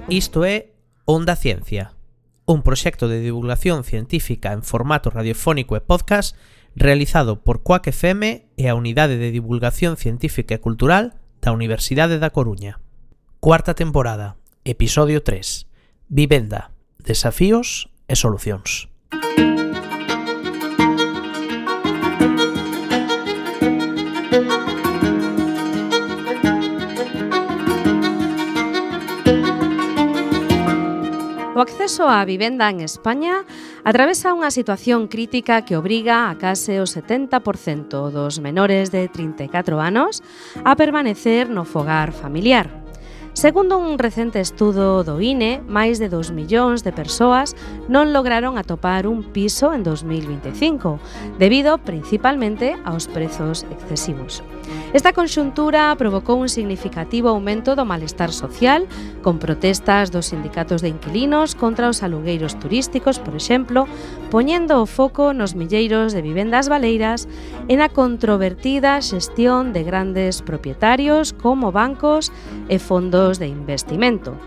Isto é Onda Ciencia, un proxecto de divulgación científica en formato radiofónico e podcast realizado por Coac FM e a Unidade de Divulgación Científica e Cultural da Universidade da Coruña. Cuarta temporada, episodio 3. Vivenda, desafíos e solucións. O acceso á vivenda en España atravesa unha situación crítica que obriga a case o 70% dos menores de 34 anos a permanecer no fogar familiar. Segundo un recente estudo do INE, máis de 2 millóns de persoas non lograron atopar un piso en 2025, debido principalmente aos prezos excesivos. Esta conxuntura provocou un significativo aumento do malestar social, con protestas dos sindicatos de inquilinos contra os alugueiros turísticos, por exemplo, poñendo o foco nos milleiros de vivendas baleiras e na controvertida xestión de grandes propietarios como bancos e fondos de investimento.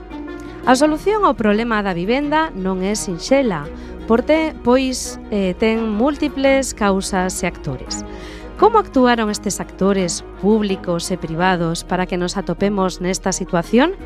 A solución ao problema da vivenda non é sinxela, pois ten múltiples causas e actores. Como actuaron estes actores públicos e privados para que nos atopemos nesta situación?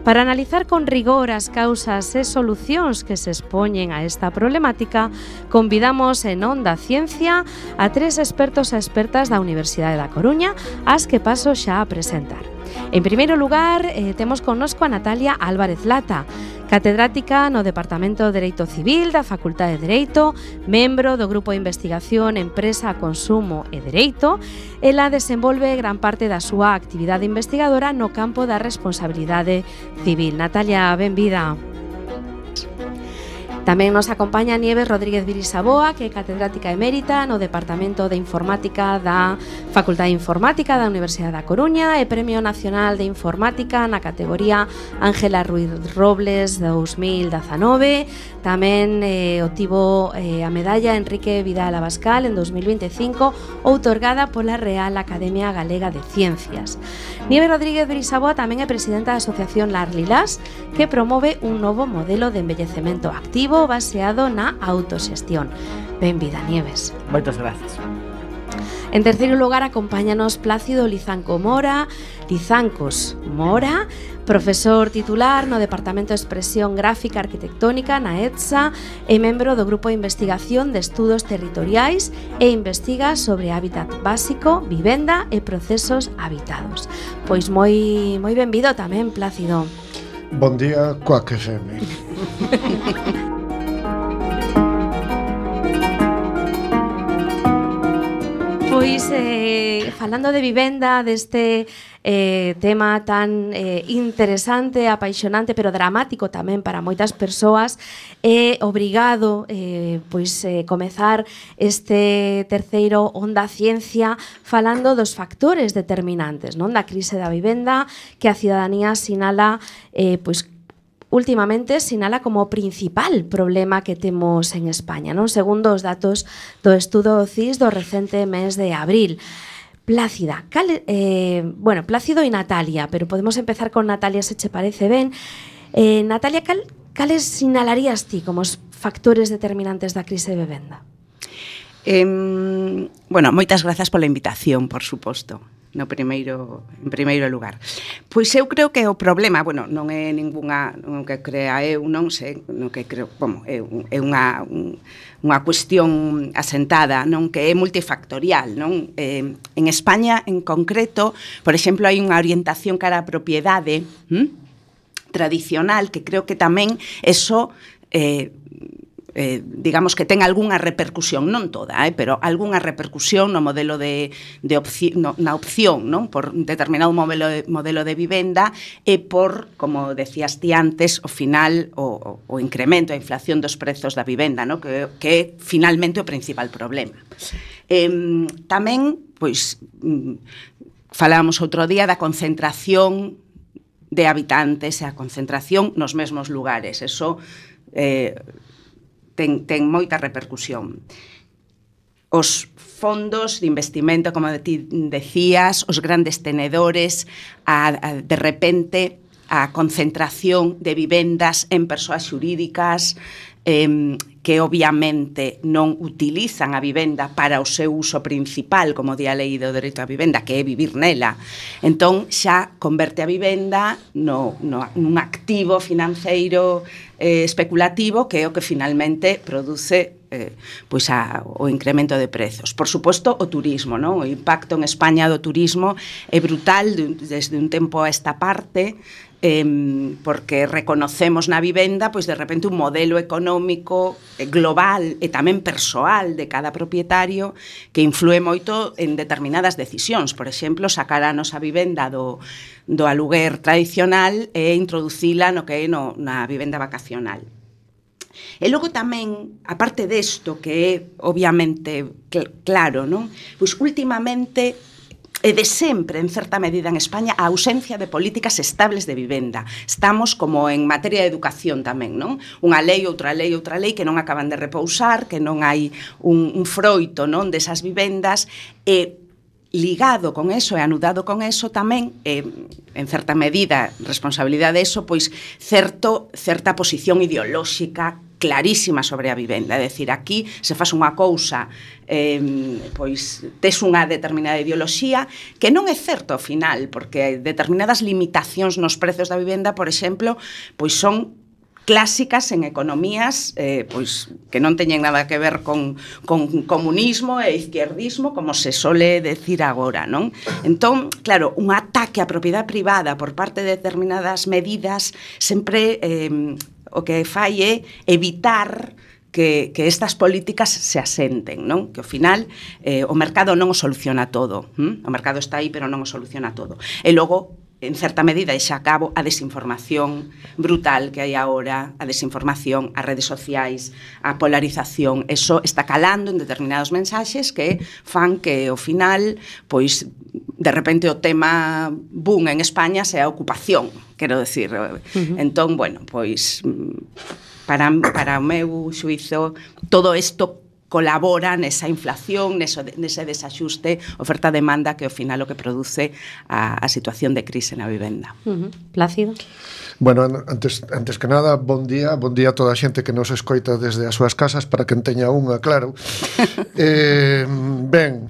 Para analizar con rigor as causas e solucións que se expoñen a esta problemática, convidamos en Onda Ciencia a 3 expertos e expertas da Universidade da Coruña, as que paso xa a presentar. En primeiro lugar, temos connosco a Natalia Álvarez Lata, catedrática no Departamento de Dereito Civil da Facultade de Dereito, membro do Grupo de Investigación Empresa, Consumo e Dereito. Ela desenvolve gran parte da súa actividade investigadora no campo da responsabilidade civil. Natalia, benvida. Tamén nos acompaña Nieves Rodríguez Virisaboa, que é catedrática emérita no Departamento de Informática da Facultade de Informática da Universidade da Coruña e Premio Nacional de Informática na categoría Ángela Ruiz Robles 2019. Tamén obtivo a medalla Enrique Vidal Abascal en 2025, outorgada pola Real Academia Galega de Ciencias. Nieves Rodríguez Virisaboa tamén é presidenta da Asociación Larlilas, que promove un novo modelo de envellecemento activo baseado na autoxestión. Benvida, Nieves. Moitas gracias. En terceiro lugar, acompáñanos Plácido Lizancos Mora, profesor titular no Departamento de Expresión Gráfica Arquitectónica na ETSA e membro do Grupo de Investigación de Estudos Territoriais e investiga sobre hábitat básico, vivenda e procesos habitados. Pois moi benvido tamén, Plácido. Bon día, Coac FM. Pois, falando de vivenda, deste tema tan interesante, apaixonante, pero dramático tamén para moitas persoas, é obrigado comezar este terceiro Onda Ciencia falando dos factores determinantes, non, da crise da vivenda, que a cidadanía sinala últimamente sinala como o principal problema que temos en España, non? Segundo os datos do estudo CIS do recente mes de abril. Plácido e Natalia, pero podemos empezar con Natalia, se che parece ben. Natalia, cales sinalarías ti como os factores determinantes da crise de vivenda? Moitas grazas pola invitación, por suposto. En primeiro lugar. Pois eu creo que o problema, non é non que crea eu, non sei, non que creo, é unha cuestión asentada, non, que é multifactorial, non? En España, en concreto, por exemplo, hai unha orientación cara á propiedade tradicional, que creo que tamén eso digamos que ten algunha repercusión, non toda, pero algunha repercusión no modelo na opción, non, por determinado modelo de vivenda e por, como decías ti antes, o final o incremento, a inflación dos prezos da vivenda, non, que é finalmente o principal problema. Tamén, falábamos outro día da concentración de habitantes e a concentración nos mesmos lugares. Eso ten moita repercusión. Os fondos de investimento, como ti decías, os grandes tenedores, de repente a concentración de vivendas en persoas xurídicas que obviamente non utilizan a vivenda para o seu uso principal, como di a lei do dereito á vivenda, que é vivir nela. Entón, xa converte a vivenda nun activo financeiro especulativo, que é o que finalmente produce pois o incremento de prezos. Por suposto, o turismo, non? O impacto en España do turismo é brutal desde un tempo a esta parte, porque reconocemos na vivenda pois de repente un modelo económico global e tamén persoal de cada propietario que influe moito en determinadas decisións. Por exemplo, sacar a nosa vivenda do aluguer tradicional e introducila no que é na vivenda vacacional. E logo tamén, aparte desto, que é obviamente claro, non? Pois últimamente e de sempre, en certa medida en España, a ausencia de políticas estables de vivenda. Estamos como en materia de educación tamén, non? Unha lei, outra lei que non acaban de repousar, que non hai un froito, non, desas vivendas, e ligado con eso e anudado con eso tamén, en certa medida, responsabilidade de eso, pois certa posición ideolóxica clarísima sobre a vivenda. É dicir, aquí se faz unha cousa, pois tes unha determinada ideoloxía que non é certo ao final, porque determinadas limitacións nos prezos da vivenda, por exemplo, pois son clásicas en economías pois que non teñen nada que ver con comunismo e izquierdismo, como se sole decir agora, non? Entón, claro, un ataque á propiedade privada por parte de determinadas medidas sempre o que fai é evitar que estas políticas se asenten, non? Que ao final o mercado non o soluciona todo. O mercado está aí, pero non o soluciona todo. E logo, en certa medida, e xa acabo, a desinformación brutal que hai agora, a desinformación, as redes sociais, a polarización, eso está calando en determinados mensaxes que fan que, ao final, pois, de repente o tema boom en España sea a ocupación, quero decir. Entón, bueno, pois, para o meu xuízo, todo isto colabora nesa inflación, nese desaxuste oferta-demanda que ao final o que produce a situación de crise na vivenda. Plácido? Bueno, antes que nada, bon día a toda a xente que nos escoita desde as súas casas, para quen teña unha, claro. Ben,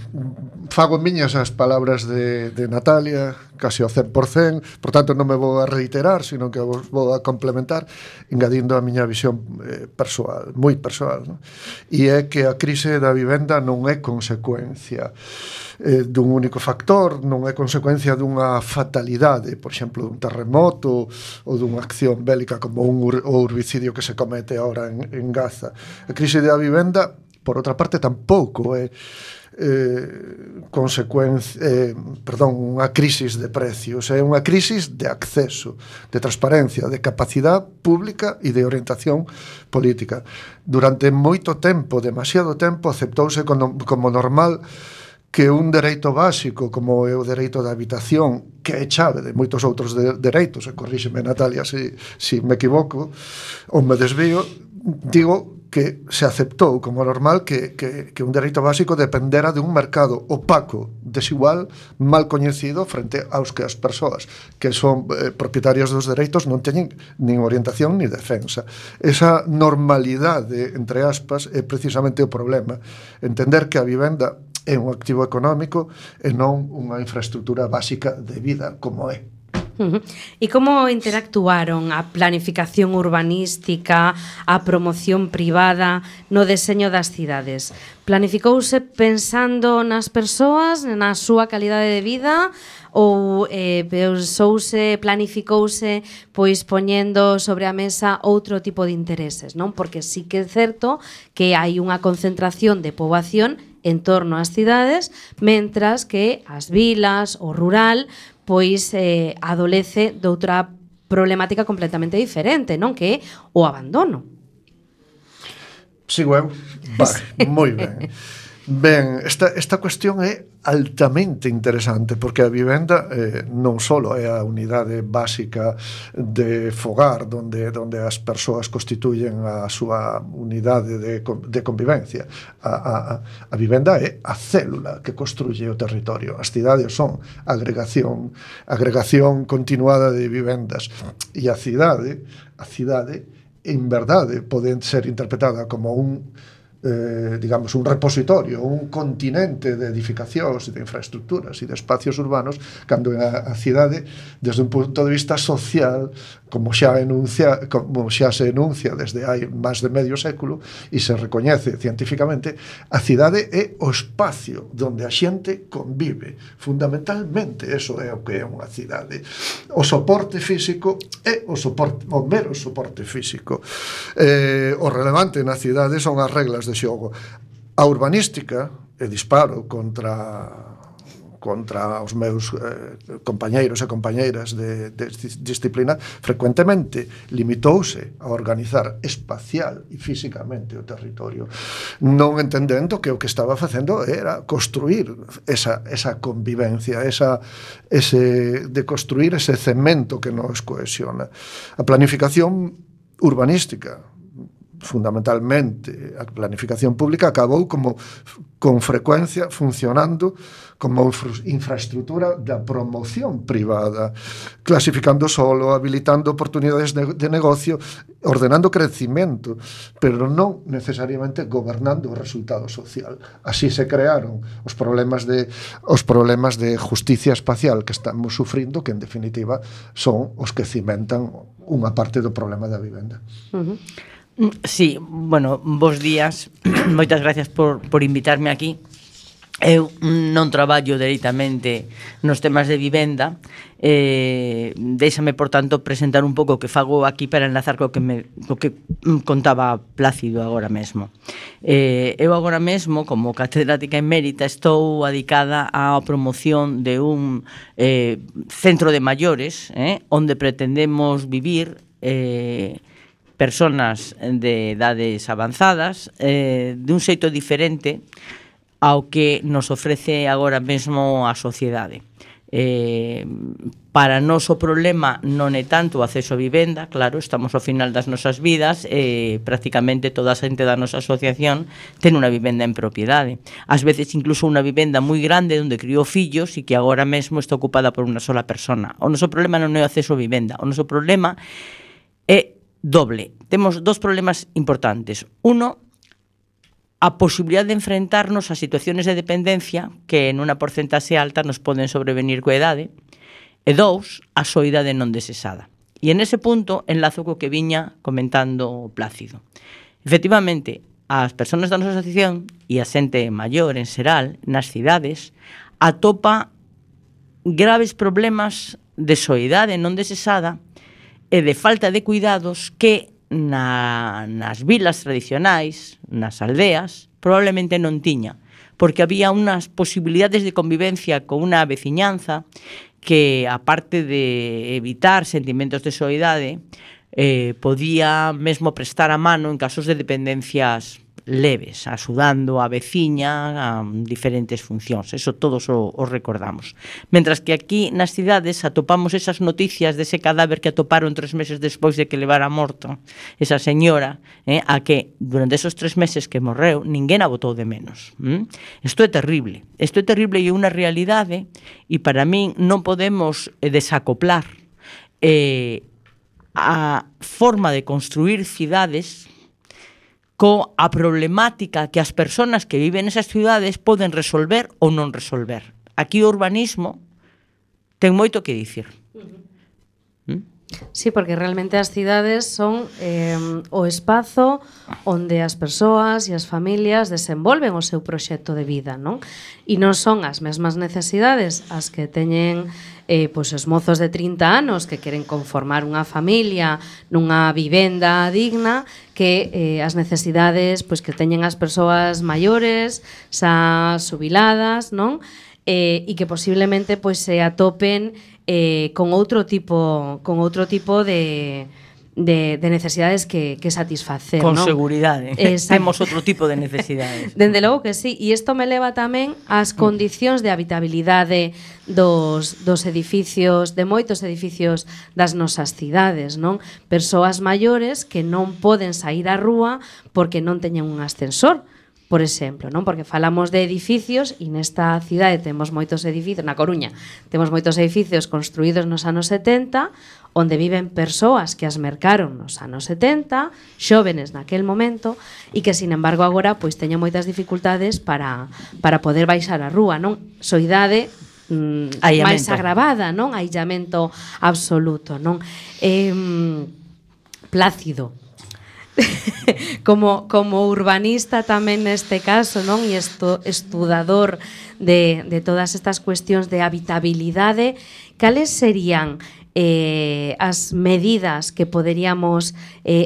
fago miñas as palabras de Natalia, casi ao 100%, por tanto non me vou a reiterar, sino que vos vou a complementar, engadindo a miña visión persoal, moi persoal, non? E é que a crise da vivenda non é consecuencia dun único factor, non é consecuencia dunha fatalidade, por exemplo, dun terremoto ou dunha acción bélica como o herbicidio que se comete ahora en Gaza. A crise da vivenda, por outra parte, tampouco é unha crisis de precios, é unha crisis de acceso, de transparencia, de capacidade pública e de orientación política. Durante moito tempo, demasiado tempo, aceptouse como normal que un dereito básico como é o dereito da habitación, que é chave de moitos outros dereitos, e corríxeme, Natalia, se me equivoco ou me desvío, digo que se aceptou como normal que un dereito básico dependera de un mercado opaco, desigual, mal coñecido frente aos que as persoas que son propietarios dos dereitos non teñen nin orientación ni defensa. Esa normalidade, entre aspas, é precisamente o problema. Entender que a vivenda é un activo económico e non unha infraestructura básica de vida como é. E como interactuaron a planificación urbanística, a promoción privada no deseño das cidades? Planificouse pensando nas persoas, na súa calidade de vida, ou planificouse pois poñendo sobre a mesa outro tipo de intereses, non? Porque sí que é certo que hai unha concentración de poboación en torno ás cidades, mentras que as vilas, o rural, pois adolece de outra problemática completamente diferente, non? Que é o abandono. Sigo eu? Vale, moi ben. Ben, esta cuestión é altamente interesante porque a vivenda non só é a unidade básica de fogar onde as persoas constituyen a súa unidade de convivencia. A vivenda é a célula que construye o territorio. As cidades son agregación continuada de vivendas, e a cidade en verdade pode ser interpretada como digamos, un repositorio, un continente de edificacións e de infraestructuras e de espacios urbanos, cando a cidade, desde un punto de vista social, como xa se enuncia desde hai máis de medio século e se recoñece científicamente, a cidade é o espacio onde a xente convive. Fundamentalmente, eso é o que é unha cidade. O soporte físico é o mero soporte físico. O relevante na cidade son as reglas de xogo. A urbanística, e disparo contra os meus compañeiros e compañeiras de disciplina, frecuentemente limitouse a organizar espacial e físicamente o territorio, non entendendo que o que estaba facendo era construir esa convivencia, de construir ese cemento que nos cohesiona. A planificación urbanística, fundamentalmente a planificación pública, acabou con frecuencia funcionando como infraestructura da promoción privada, clasificando solo, habilitando oportunidades de negocio, ordenando crecimiento, pero non necesariamente gobernando o resultado social. Así se crearon os problemas de justicia espacial que estamos sufrindo, que en definitiva son os que cimentan unha parte do problema da vivenda. Sí, bueno, bos días. Moitas gracias por invitarme aquí. Eu non traballo directamente nos temas de vivenda. Déixame, por tanto, presentar un pouco o que fago aquí para enlazar co que contaba Plácido agora mesmo. Eu agora mesmo, como catedrática emérita, estou adicada á promoción de un centro de maiores, onde pretendemos vivir personas de edades avanzadas de un xeito diferente ao que nos ofrece agora mesmo a sociedade. Para nós o problema non é tanto o acceso a vivenda, claro, estamos ao final das nosas vidas e prácticamente toda a xente da nosa asociación ten unha vivenda en propiedade. Ás veces incluso unha vivenda moi grande onde criou fillos e que agora mesmo está ocupada por unha sola persona. O noso problema non é o acceso a vivenda, o noso problema é doble. Temos dos problemas importantes. Uno, a posibilidade de enfrentarnos a situaciones de dependencia que en unha porcentaxe alta nos poden sobrevenir coa idade. E dous, a soidade non desexada. E en ese punto enlazo co que viña comentando Plácido. Efectivamente, as persoas da nosa asociación e a xente maior en xeral nas cidades atopa graves problemas de soidade non desexada e de falta de cuidados que nas vilas tradicionais, nas aldeas, probablemente non tiña, porque había unhas posibilidades de convivencia con unha veciñanza que, aparte de evitar sentimentos de soidade, podía mesmo prestar a mano en casos de dependencias leves, axudando a veciña a diferentes funcións. Eso todos o recordamos. Mentras que aquí nas cidades atopamos esas noticias dese cadáver que atoparon 3 meses despois de que levara morto esa señora, a que durante esos 3 meses que morreu ninguén a botou de menos. Isto é terrible. Isto é terrible e é unha realidade, e para min non podemos desacoplar a forma de construir cidades coa problemática que as persoas que viven nesas cidades poden resolver ou non resolver. Aquí o urbanismo ten moito que dicir. Sí, porque realmente as cidades son o espazo onde as persoas e as familias desenvolven o seu proxecto de vida, non? E non son as mesmas necesidades as que teñen pois os mozos de 30 anos que queren conformar unha familia nunha vivenda digna que as necesidades pois que teñen as persoas maiores, xa xubiladas, non? E que posiblemente pois se atopen con outro tipo de necesidades que satisfacer. Con ¿no? seguridade. Temos outro tipo de necesidades. Dende logo que sí, e isto me leva tamén ás condicións de habitabilidade dos edificios, de moitos edificios das nosas cidades, non? Persoas maiores que non poden sair á rúa porque non teñen un ascensor, por exemplo, non? Porque falamos de edificios e nesta cidade temos moitos edificios, na Coruña, temos moitos edificios construídos nos anos 70, onde viven persoas que as mercaron nos anos 70, xóvenes naquel momento, e que, sin embargo, agora pois teñen moitas dificultades para poder baixar á rúa, non? Soidade máis agravada, non? Aillamento absoluto, non? Plácido. como urbanista tamén neste caso, non? E estudador de todas estas cuestións de habitabilidade, cales serían as medidas que poderíamos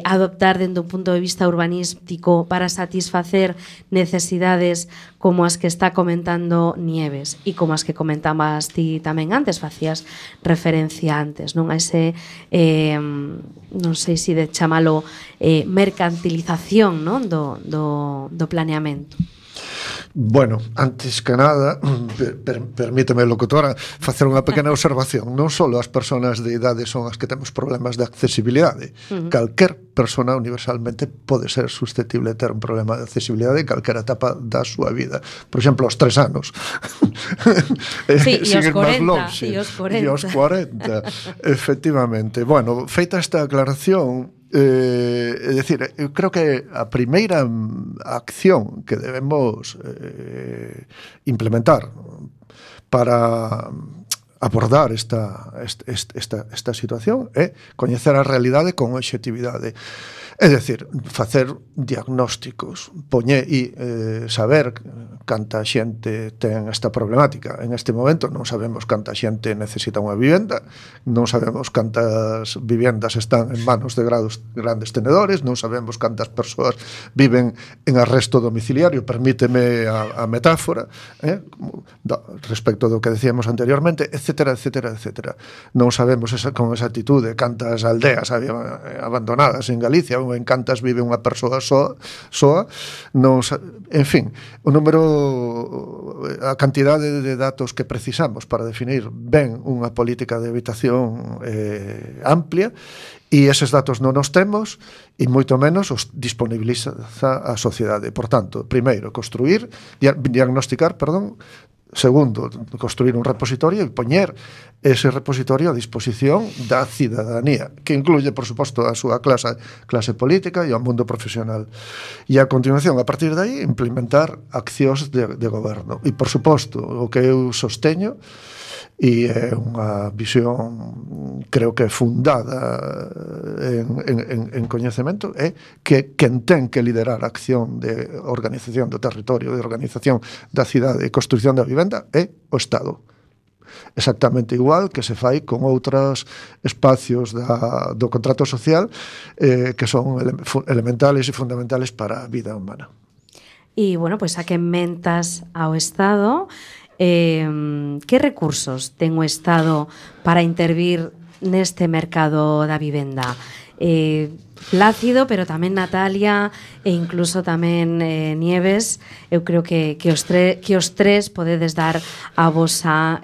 adoptar dende un punto de vista urbanístico para satisfacer necesidades como as que está comentando Nieves e como as que comentabas ti tamén antes, facías referencia antes, non? A ese non sei se de chamalo mercantilización, non? Do planeamento. Bueno, antes que nada, permíteme, locutora, facer unha pequena observación. Non só as persoas de idade son as que temos problemas de accesibilidade. Calquer persona universalmente pode ser susceptible de ter un problema de accesibilidade en calquera etapa da súa vida. Por exemplo, aos 3 anos. Sí, e aos 40. E aos 40, efectivamente. Bueno, feita esta aclaración, é dicir, eu creo que a primeira acción que debemos implementar para abordar esta situación é coñecer a realidade con obxectividade. É dicir, facer diagnósticos, saber canta xente ten esta problemática. En este momento non sabemos canta xente necesita unha vivenda, non sabemos cantas vivendas están en manos de grandes tenedores, non sabemos cantas persoas viven en arresto domiciliario, permíteme a metáfora, respecto do que decíamos anteriormente, etcétera, etcétera, etcétera. Non sabemos con exactitude cantas aldeas abandonadas en Galicia ou en cantas vive unha persoa soa, en fin, o número, a cantidade de datos que precisamos para definir ben unha política de habitación amplia, e eses datos non os temos e moito menos os disponibiliza a sociedade. Por tanto, primeiro, diagnosticar, segundo, construir un repositorio e poñer ese repositorio a disposición da cidadanía, que incluye, por suposto, a súa clase política e ao mundo profesional. E a continuación, a partir de aí, implementar accións de goberno. E, por suposto, o que eu sosteño, e é unha visión, creo que fundada en coñecemento, é que quen ten que liderar a acción de organización do territorio, de organización da cidade e construción da vivenda é o Estado. Exactamente igual que se fai con outros espacios do contrato social que son elementales e fundamentales para a vida humana. E, bueno, pois a que mentas ao Estado, que recursos ten o Estado para intervir neste mercado da vivenda? Plácido, pero tamén Natalia e incluso tamén Nieves, eu creo que os tres podedes dar a vosa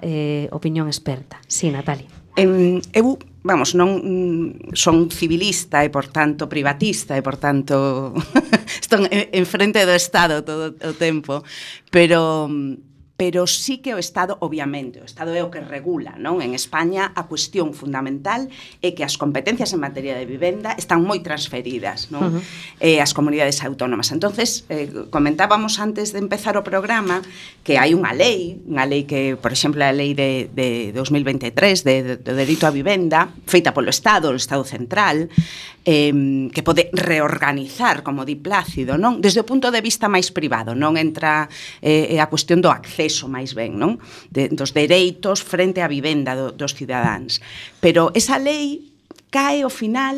opinión experta. Sí, Natalia. Eu, non son civilista e, por tanto, privatista e, por tanto, estou en frente do Estado todo o tempo, pero sí que o Estado, obviamente, o Estado é o que regula, non? En España a cuestión fundamental é que as competencias en materia de vivenda están moi transferidas, non? As comunidades autónomas. Entonces, comentábamos antes de empezar o programa que hai unha lei que, por exemplo, a lei de 2023 do dereito á vivenda, feita polo Estado, o Estado central, que pode reorganizar, como di Plácido, non? Desde o punto de vista máis privado, non entra a cuestión do acceso máis ben, non? Dos dereitos frente á vivenda dos cidadáns. Pero esa lei cae ao final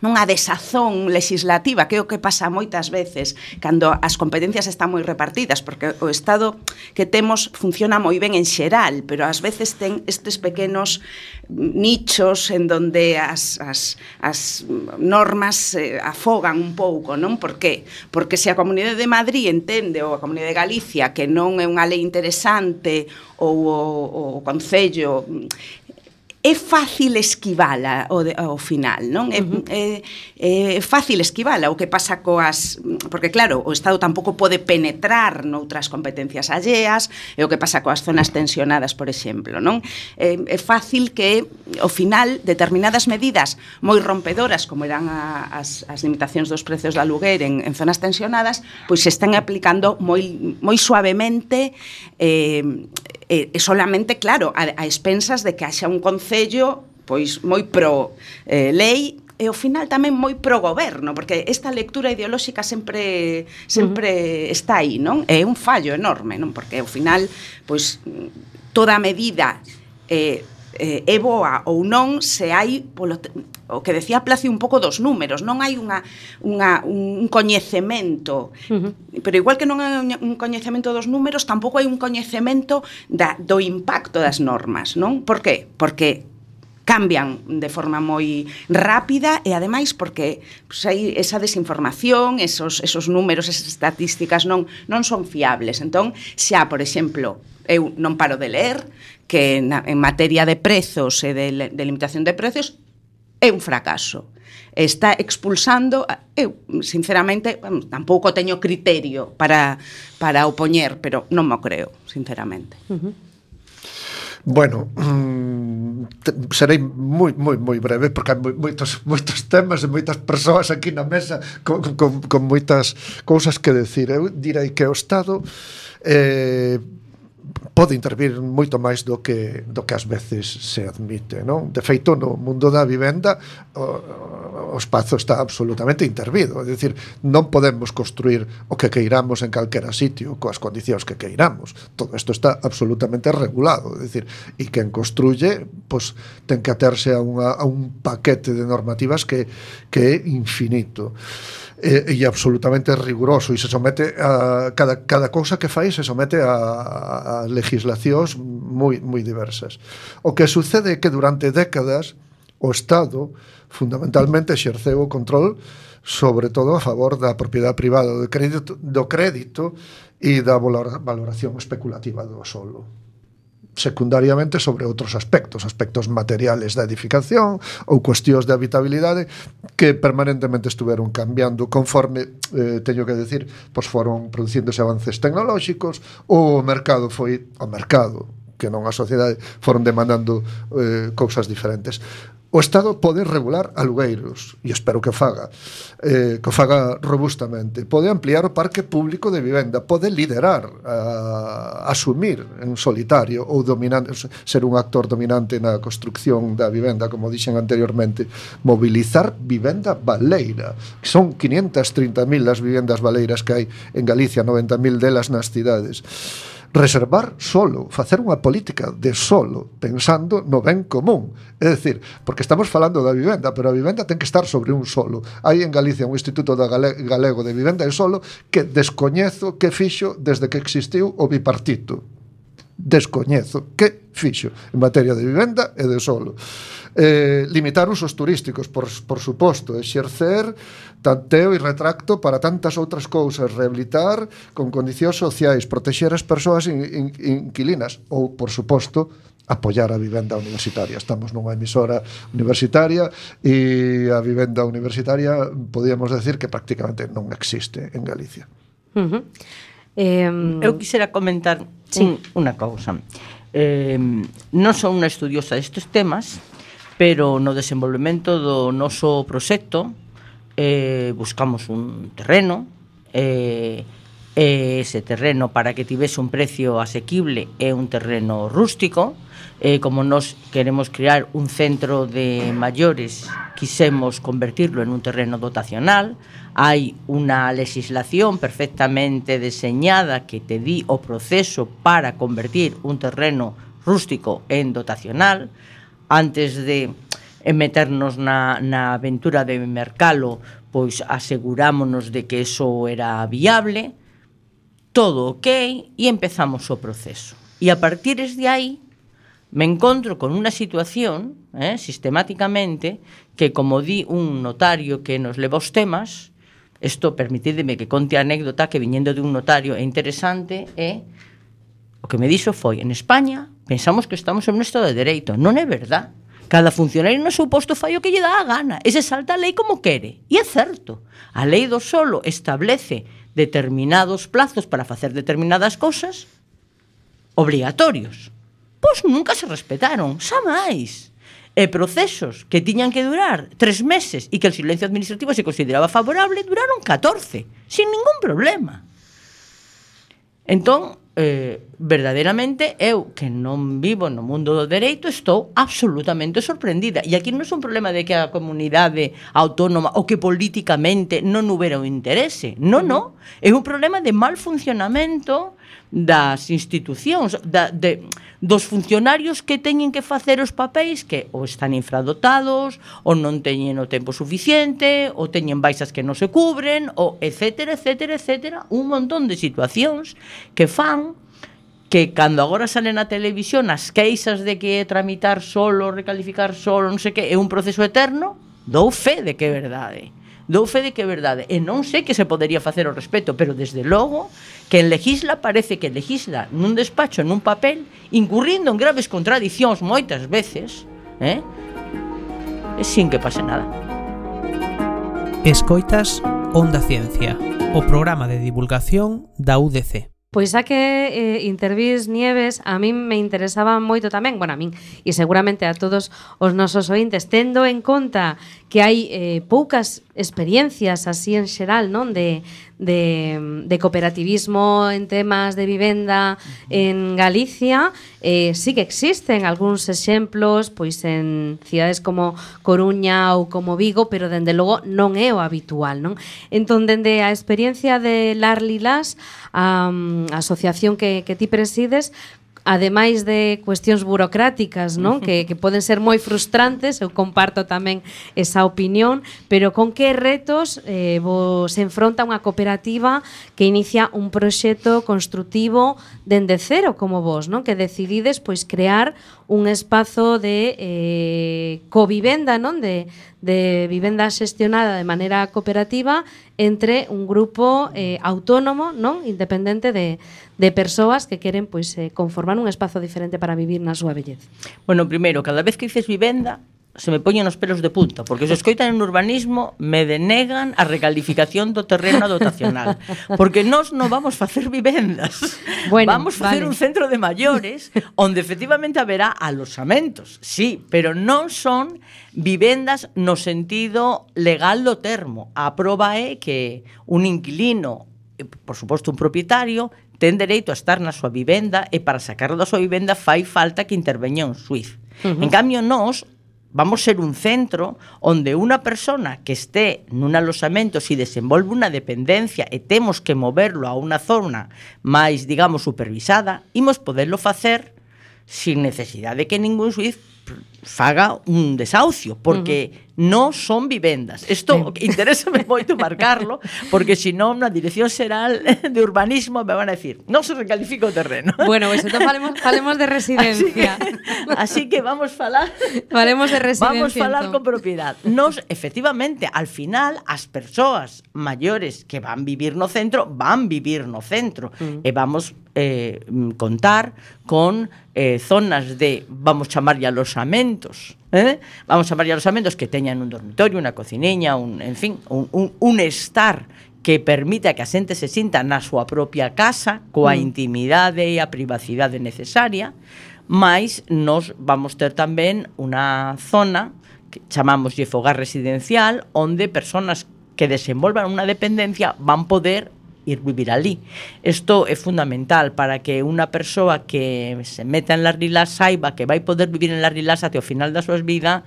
nunha desazón legislativa, que é o que pasa moitas veces cando as competencias están moi repartidas, porque o Estado que temos funciona moi ben en xeral, pero ás veces ten estes pequenos nichos en donde as normas afogan un pouco, non? Por qué? Porque se a Comunidade de Madrid entende, ou a Comunidade de Galicia, que non é unha lei interesante, ou o Concello, é fácil esquivala ao final, non? É fácil esquivala. O que pasa coas... Porque, claro, o Estado tampouco pode penetrar noutras competencias alleas, é o que pasa coas zonas tensionadas, por exemplo, non? É fácil que, ao final, determinadas medidas moi rompedoras, como eran as limitacións dos prezos de aluguer en zonas tensionadas, pois se están aplicando moi suavemente, solamente, claro, a expensas de que haxa un concello pois moi pro lei e ao final tamén moi pro goberno, porque esta lectura ideolóxica sempre está aí, non? É un fallo enorme, non? Porque ao final, pois, toda medida é boa ou non se hai o que decía Placio un pouco dos números, non hai un coñecemento, pero igual que non hai un coñecemento dos números, tampouco hai un coñecemento do impacto das normas, non? Por qué? Porque cambian de forma moi rápida e ademais porque hai esa desinformación, esos números, esas estatísticas non son fiables. Entón, xa, por exemplo, eu non paro de ler que en materia de prezos e de limitación de prezos é un fracaso. Está expulsando, eu, sinceramente, tampouco teño criterio para opoñer, pero non mo creo, sinceramente. Bueno, serei moi breve porque hai moitos temas e moitas persoas aquí na mesa con moitas cousas que decir. Eu direi que o Estado pode intervir moito máis do que ás veces se admite, non? De feito, no mundo da vivenda o espazo está absolutamente intervido, é dicir, non podemos construir o que queiramos en calquera sitio coas condicións que queiramos. Todo isto está absolutamente regulado, é dicir, e quen construye, pois, ten que aterse a un paquete de normativas que é infinito e absolutamente riguroso, e se somete a cada cousa que fai se somete a legislacións moi diversas. O que sucede é que durante décadas o Estado fundamentalmente exerceu o control sobre todo a favor da propiedade privada, do crédito e da valoración especulativa do solo, secundariamente sobre outros aspectos materiales da edificación ou cuestións de habitabilidade que permanentemente estuveron cambiando conforme, teño que decir, pois foron producíndose avances tecnolóxicos, o mercado foi o mercado, que non a sociedade, foron demandando cousas diferentes. O Estado pode regular alugueiros, e espero que o faga robustamente. Pode ampliar o parque público de vivenda, pode liderar, asumir en solitario ou ser un actor dominante na construcción da vivenda, como dixen anteriormente, mobilizar vivenda baleira, que son 530.000 as vivendas baleiras que hai en Galicia, 90.000 delas nas cidades. Reservar solo, facer unha política de solo, pensando no ben común. É dicir, porque estamos falando da vivenda, pero a vivenda ten que estar sobre un solo. Hai en Galicia un Instituto Galego de Vivenda e Solo que descoñezo que fixo desde que existiu o bipartito. Descoñezo que fixo en materia de vivenda e de solo. Limitar usos turísticos, por suposto, exercer tanteo e retracto para tantas outras cousas, rehabilitar con condicións sociais, protexer as persoas inquilinas ou, por suposto, apoiar a vivenda universitaria. Estamos nunha emisora universitaria e a vivenda universitaria podíamos decir que prácticamente non existe en Galicia. Eu quixera comentar unha cousa. Non son unha estudiosa destes temas, pero no desenvolvemento do noso proxecto buscamos un terreno, ese terreno, para que tivese un precio asequible, é un terreno rústico. Como nos queremos crear un centro de maiores, quisemos convertirlo en un terreno dotacional. Hai unha legislación perfectamente deseñada que te di o proceso para convertir un terreno rústico en dotacional. Antes de meternos na aventura de mercalo, pois asegurámonos de que eso era viable, todo ok, e empezamos o proceso. E a partir de aí me encontro con unha situación, sistemáticamente, que como di un notario que nos leva os temas, isto permitideme que conte a anécdota que viñendo de un notario é interesante, o que me dixo foi, en España pensamos que estamos en un estado de dereito. Non é verdad. Cada funcionario no seu posto fai o que lle dá a gana e se salta a lei como quere. E é certo. A lei do solo establece determinados plazos para facer determinadas cosas obrigatorios. Pois nunca se respetaron, xa máis. E procesos que tiñan que durar 3 meses e que el silencio administrativo se consideraba favorable, duraron 14, sin ningún problema. Entón, verdadeiramente, eu que non vivo no mundo do dereito, estou absolutamente sorprendida. E aquí non é un problema de que a comunidade autónoma ou que políticamente non houbera o interese. Non, non. É un problema de mal funcionamento das institucións, dos funcionarios que teñen que facer os papéis que ou están infradotados, ou non teñen o tempo suficiente, ou teñen baixas que non se cubren, ou etcétera, etcétera, etcétera, un montón de situacións que fan que cando agora salen na televisión as queixas de que tramitar solo, recalificar solo, non sei que, é un proceso eterno, dou fe de que é verdade. Dou fe de que é verdade. E non sei que se podería facer ao respecto, pero desde logo que en legisla parece que legisla nun despacho, nun papel, incurrindo en graves contradicións moitas veces, e sin que pase nada. Escoitas Onda Ciencia, o programa de divulgación da UDC. Pois xa que intervís, Nieves, a min me interesaba moito tamén, bueno, a min e seguramente a todos os nosos ointes, tendo en conta que hai poucas experiencias así en xeral, non, de cooperativismo en temas de vivenda en Galicia, sí que existen algúns exemplos pois en cidades como Coruña ou como Vigo, pero dende logo non é o habitual, non? Entón, dende a experiencia de Lar Lilás, a asociación que ti presides, ademais de cuestións burocráticas, non? Que poden ser moi frustrantes, eu comparto tamén esa opinión, pero con que retos vos enfronta unha cooperativa que inicia un proxecto construtivo dende cero como vos, non? Que decidides pois crear un espazo de covivenda, non? De vivenda xestionada de maneira cooperativa entre un grupo autónomo, non? Independente de persoas que queren pois conformar un espazo diferente para vivir na súa vellez. Bueno, primeiro, cada vez que dices vivenda, se me poñen os pelos de punta, porque se escoitan en urbanismo me denegan a recalificación do terreno dotacional, porque nós non vamos facer vivendas, bueno, vamos facer un centro de maiores onde efectivamente haberá alosamentos, sí, pero non son vivendas no sentido legal do termo. A proba é que un inquilino, por suposto un propietario, ten dereito a estar na súa vivenda e para sacarlo da súa vivenda fai falta que interveña un xuiz. En cambio, nós vamos ser un centro onde unha persona que este nun alosamento se desenvolve unha dependencia e temos que moverlo a unha zona máis, digamos, supervisada, imos poderlo facer sin necesidade de que ningún xuiz faga un desahucio, porque non son vivendas. Isto interésame moito marcarlo, porque senón na Dirección Xeral de Urbanismo me van a decir, non se recalifica o terreno. Bueno, pues entón falemos de residencia. Así que vamos falar falemos de residencia. Vamos falar con propiedade. Nos, efectivamente, al final as persoas maiores que van vivir no centro, e vamos contar con zonas de, vamos chamarlle alosamentos, vamos chamarlle alosamentos que teñan un dormitorio, unha cocineña, un estar que permita que a xente se sinta na súa propia casa, coa intimidade e a privacidade necesaria, mais nos vamos ter tamén unha zona que chamámoslle fogar residencial, onde persoas que desenvolvan unha dependencia van poder ir vivir ali. Isto é fundamental para que unha persoa que se meta en Lar Lilás saiba que vai poder vivir en Lar Lilás até o final da súa vida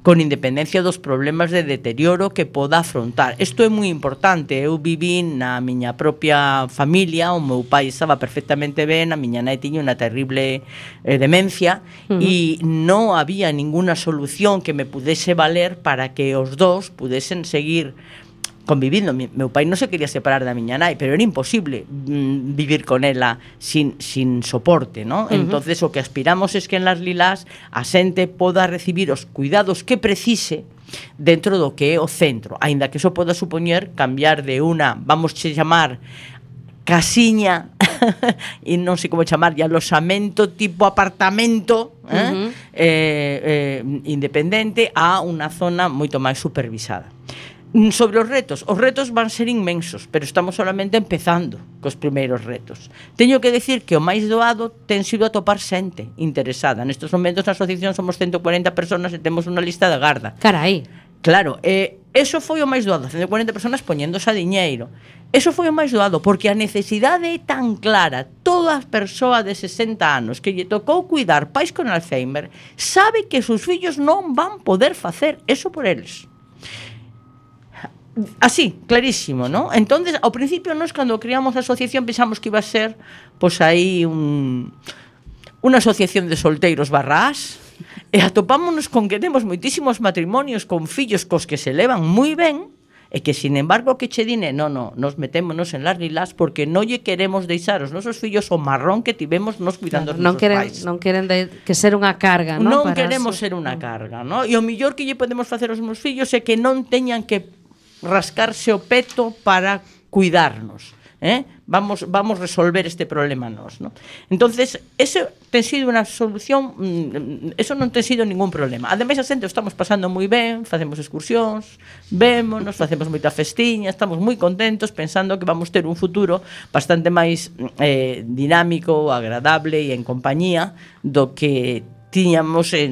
con independencia dos problemas de deterioro que poda afrontar. Isto é moi importante. Eu viví na miña propia familia, o meu pai estaba perfectamente ben, a miña nai tiña unha terrible demencia e non había ninguna solución que me pudese valer para que os dos pudesen seguir convivindo. Meu pai non se quería separar da miña nai, pero era imposible vivir con ela sin soporte, ¿no? Entonces o que aspiramos es que en Las Lilás a xente poda recibir os cuidados que precise dentro do que é o centro, aínda que eso poda supoñer cambiar de una, vamos a chamar casiña e non sei como chamar, alosamento tipo apartamento independente a unha zona moito máis supervisada. Sobre os retos van ser inmensos, pero estamos solamente empezando cos primeiros retos. Teño que decir que o máis doado ten sido atopar xente interesada. Nestes momentos na asociación somos 140 personas e temos unha lista de garda. Carai. Claro, eso foi o máis doado, 140 personas poñéndose a diñeiro. Eso foi o máis doado, porque a necesidade é tan clara. Toda persoa de 60 anos que lle tocou cuidar pais con Alzheimer sabe que os seus fillos non van poder facer eso por eles. Así, clarísimo, ¿no? Entonces, ao principio nós cando creamos a asociación pensamos que iba a ser pois aí unha asociación de solteiros barrás e atopámonos con que temos moitísimos matrimonios con fillos cos que se levan moi ben e que, sin embargo, que che dine, nos metémonos en Las Lilás porque non lle queremos deixar os nosos fillos o marrón que tivemos nos cuidando os nosos pais. Non queren que ser unha carga, ¿no? Non queremos ser unha carga, ¿no? E o mellor que lle podemos facer aos meus fillos é que non teñan que rascarse o peto para cuidarnos, vamos resolver este problema nós, ¿no? Entonces, eso ten sido unha solución, eso non ten sido ningún problema. Ademais, a xente estamos pasando moi ben, facemos excursións, vémonos, facemos moita festiña, estamos moi contentos pensando que vamos ter un futuro bastante máis dinámico, agradable e en compañía do que tiñamos se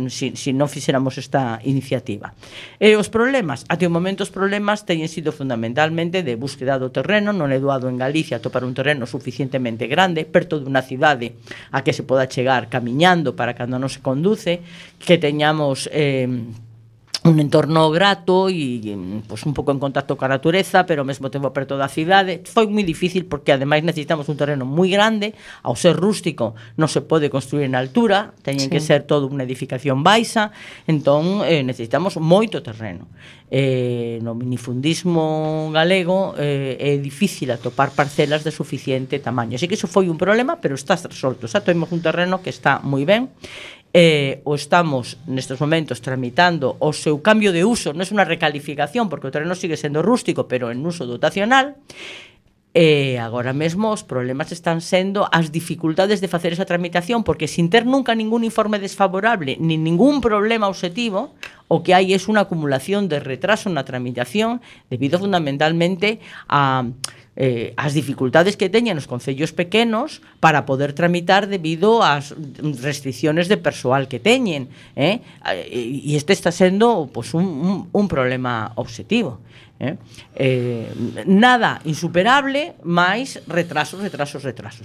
non fixéramos esta iniciativa. E os problemas, até o momento os problemas teñen sido fundamentalmente de búsqueda do terreno. Non é doado en Galicia atopar un terreno suficientemente grande, perto dunha cidade a que se poda chegar camiñando para cando non se conduce, que teñamos un entorno grato e pues, un pouco en contacto coa natureza, pero ao mesmo tempo perto da cidade. Foi moi difícil porque ademais necesitamos un terreno moi grande. Ao ser rústico non se pode construir en altura, teñen que ser todo unha edificación baixa, entón necesitamos moito terreno. No minifundismo galego é difícil atopar parcelas de suficiente tamaño. Así que iso foi un problema, pero está resolto. Xa temos un terreno que está moi ben. O estamos nestes momentos tramitando o seu cambio de uso. Non é unha recalificación porque o terreno sigue sendo rústico, pero en uso dotacional. Agora mesmo os problemas están sendo as dificultades de facer esa tramitación, porque sin ter nunca ningún informe desfavorable ni ningún problema obxectivo, o que hai é unha acumulación de retraso na tramitación debido fundamentalmente a as dificultades que teñen os concellos pequenos para poder tramitar debido ás restricciones de persoal que teñen, e este está sendo pues, un problema obxectivo. Nada insuperable, máis retrasos.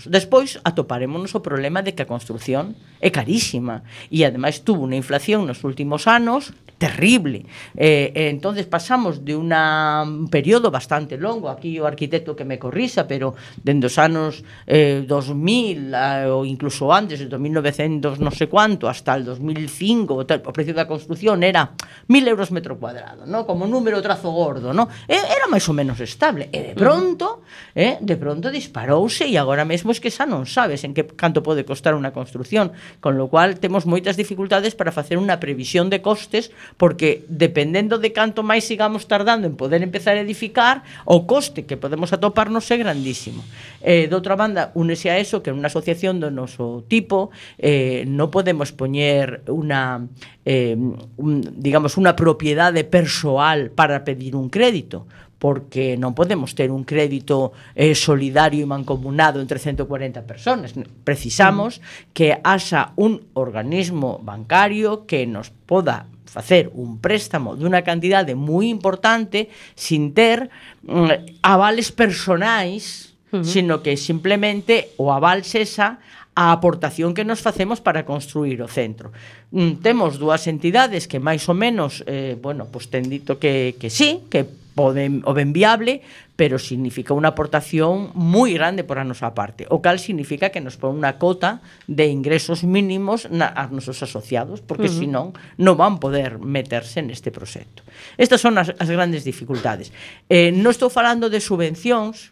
Despois atoparémonos o problema de que a construción é carísima e ademais tuvo unha inflación nos últimos anos terrible. Entonces pasamos de un período bastante longo, aquí o arquitecto que me corrisa, pero dende os anos 2000 ou incluso antes, de 1900 non sei cuánto, hasta el 2005, o precio da construción era 1.000 euros metro cuadrado, ¿no? Como número trazo gordo, ¿no? Era máis ou menos estable, e de pronto disparouse, e agora mesmo es que xa non sabes en que canto pode costar unha construción, con lo cual temos moitas dificultades para facer unha previsión de costes, porque dependendo de canto máis sigamos tardando en poder empezar a edificar, o coste que podemos atoparnos é grandísimo. De outra banda, únese a eso que en unha asociación do noso tipo non podemos poñer unha propiedade persoal para pedir un crédito, porque non podemos ter un crédito solidario e mancomunado entre 140 personas. Precisamos que haxa un organismo bancario que nos poda facer un préstamo dunha cantidade moi importante sin ter avales personais, sino que simplemente o aval sexa a aportación que nos facemos para construir o centro. Temos dúas entidades que máis ou menos, pues ten dito que sí, que poden o ben viable, pero significa unha aportación moi grande por a nosa parte, o cal significa que nos pon unha cota de ingresos mínimos aos nosos asociados, porque senón non van poder meterse neste proxecto. Estas son as grandes dificultades. Non estou falando de subvencións,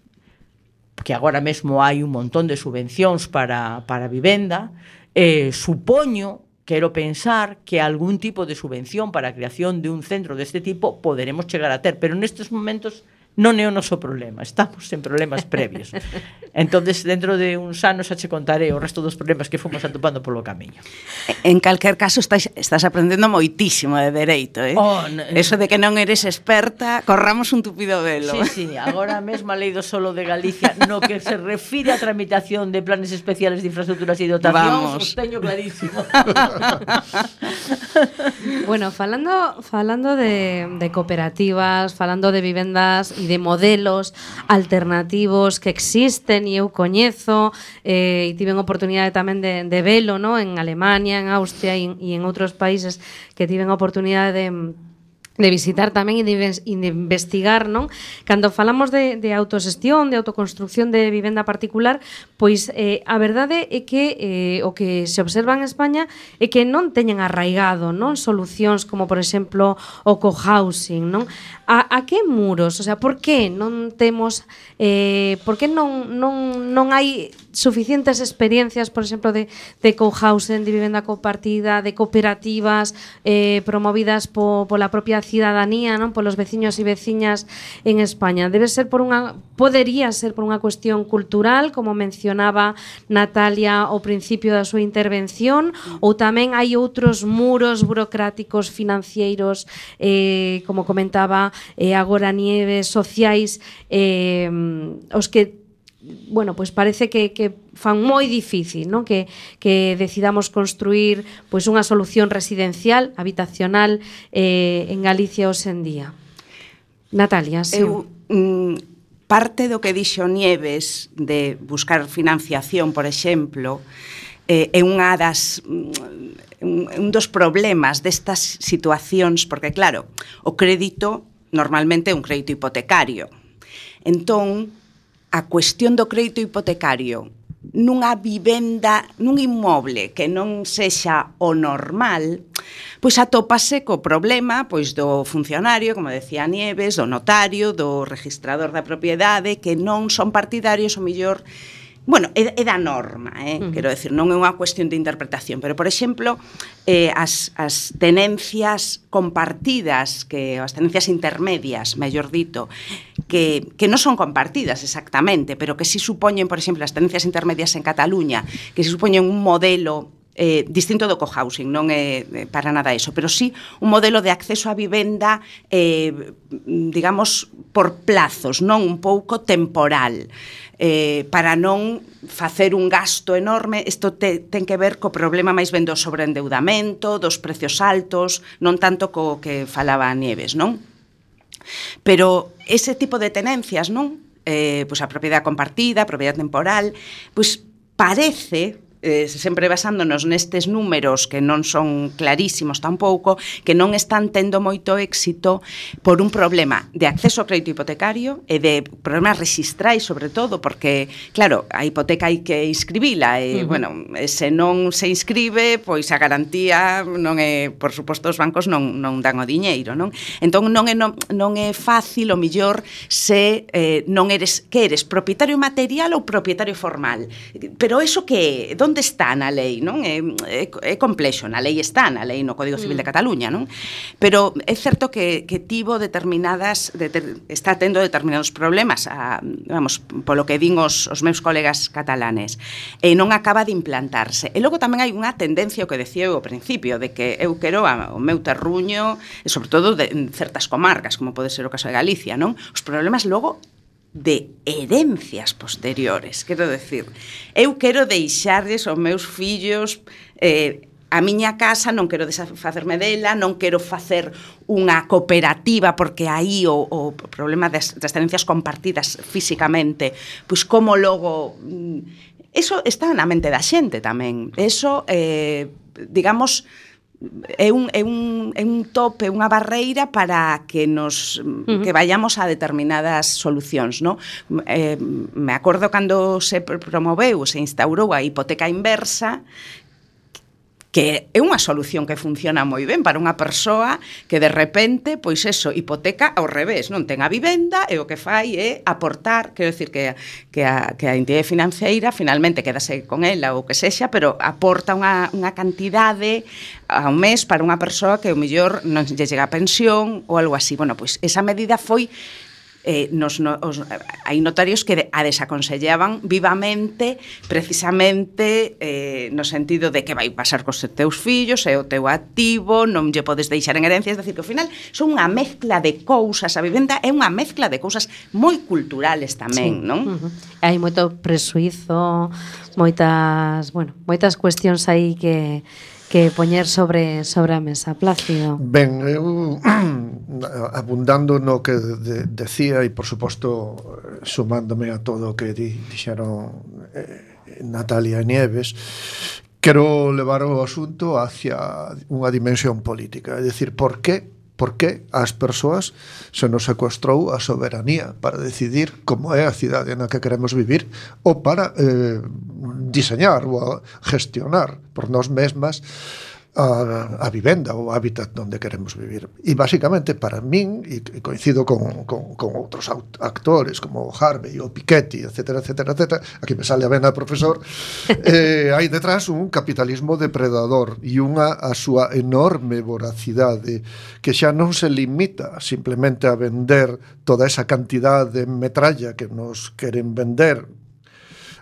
que agora mesmo hai un montón de subvencións para vivenda. Supoño, quero pensar que algún tipo de subvención para a creación de un centro deste tipo poderemos chegar a ter, pero nestes momentos non é o noso problema, estamos en problemas previos. Entonces, dentro de uns anos xa che contaré o resto dos problemas que fomos atopando polo camiño. En calquer caso, estás aprendendo moitísimo de dereito, eh? Eso de que non eres experta, corramos un tupido velo. Sí, agora mesmo a Lei do Solo de Galicia, no que se refire a tramitación de planes especiales de infraestructuras e dotacións, os teño clarísimo. Bueno, falando de cooperativas, falando de vivendas e de modelos alternativos que existen e eu coñezo, e tiven oportunidade tamén de velo, no? En Alemania, en Austria e en outros países que tiven oportunidade de visitar tamén e de investigar, non? Cando falamos de autoxestión, de autoconstrucción de vivenda particular, pois a verdade é que o que se observa en España é que non teñen arraigado, non, solucións como, por exemplo, o cohousing, non? A que muros? O sea, por que non temos por que non hai suficientes experiencias, por exemplo, de cohousing, de vivenda compartida, de cooperativas promovidas pola propia cidadanía, non, polos veciños e veciñas en España? Podería ser por unha cuestión cultural, como mencionaba Natalia ao principio da súa intervención, ou tamén hai outros muros burocráticos, financeiros, como comentaba agora Nieves, sociais, os que pues parece que fan moi difícil, non? Que decidamos construir pois unha solución residencial, habitacional en Galicia hoxe en día. Natalia, sí. Parte do que dixo Nieves de buscar financiación, por exemplo, é unha un dos problemas destas situacións, porque claro, o crédito normalmente é un crédito hipotecario. Entón, a cuestión do crédito hipotecario nunha vivenda, nun inmoble que non sexa o normal, pois atópase co problema pois do funcionario, como decía Nieves, do notario, do registrador da propiedade, que non son partidarios, o mellor. Bueno, é da norma, quero decir, non é unha cuestión de interpretación, pero, por exemplo, as tenencias compartidas, as tenencias intermedias, mellor dito, que non son compartidas exactamente, pero que si supoñen, por exemplo, as tenencias intermedias en Cataluña, que si supoñen un modelo distinto do cohousing, non é para nada eso, pero sí un modelo de acceso a vivenda, digamos, por plazos, non un pouco temporal, para non facer un gasto enorme. Isto ten que ver co problema máis ben do sobreendeudamento, dos precios altos, non tanto co que falaba Nieves, non? Pero ese tipo de tenencias, non? Pois a propiedade compartida, a propiedade temporal, pois parece, sempre basándonos nestes números que non son clarísimos tampouco, que non están tendo moito éxito por un problema de acceso ao crédito hipotecario e de problemas rexistrais, sobre todo, porque, claro, a hipoteca hai que inscribila e, bueno, se non se inscribe, pois a garantía non é, por suposto, os bancos non dan o diñeiro, non? Entón non é fácil, o millor, se non eres, que eres, propietario material ou propietario formal. Pero eso que é? Onde está na lei, non? É complexo, na lei está, na lei no Código Civil de Cataluña, non? Pero é certo que tivo está tendo determinados problemas, vamos, polo que din os meus colegas catalanes, e non acaba de implantarse. E logo tamén hai unha tendencia, o que decía eu ao principio, de que eu quero o meu terruño, e sobre todo en certas comarcas, como pode ser o caso de Galicia, non? Os problemas logo de herencias posteriores, quero decir, eu quero deixarles aos meus fillos a miña casa, non quero desfacerme dela, non quero facer unha cooperativa, porque aí o problema das tenencias compartidas físicamente, pois como logo eso está na mente da xente tamén. Eso, digamos, é un tope, unha barreira para que nos que vayamos a determinadas solucións, no? Me acordo cando se promoveu, se instaurou a hipoteca inversa, que é unha solución que funciona moi ben para unha persoa que de repente, pois eso, hipoteca ao revés, non ten a vivenda e o que fai é aportar, quero dicir que a entidade financeira finalmente quedase con ela ou que sexa, pero aporta unha cantidade ao mes para unha persoa que o mellor non lle chega a pensión ou algo así. Bueno, pois esa medida foi hai notarios que a desaconsellaban vivamente, precisamente no sentido de que vai pasar cos teus fillos, é o teu activo, non lle podes deixar en herencia, é dicir, que ao final son unha mezcla de cousas, a vivenda é unha mezcla de cousas moi culturales tamén, non? Hai moito presuízo, moitas cuestións aí que poñer sobre a mesa. Plácido. Ben, eu abundando no que decía e, por suposto, sumándome a todo o que dixeron Natalia e Nieves, quero levar o asunto hacia unha dimensión política, é dicir, por que ás persoas se nos secuestrou a soberanía para decidir como é a cidade na que queremos vivir ou para diseñar ou gestionar por nós mesmas a vivenda ou hábitat onde queremos vivir. E basicamente para min, e coincido con outros actores como Harvey ou Piketty, etcétera, aquí me sale a vena profesor, hai detrás un capitalismo depredador e a súa enorme voracidade que xa non se limita simplemente a vender toda esa cantidad de metralla que nos queren vender.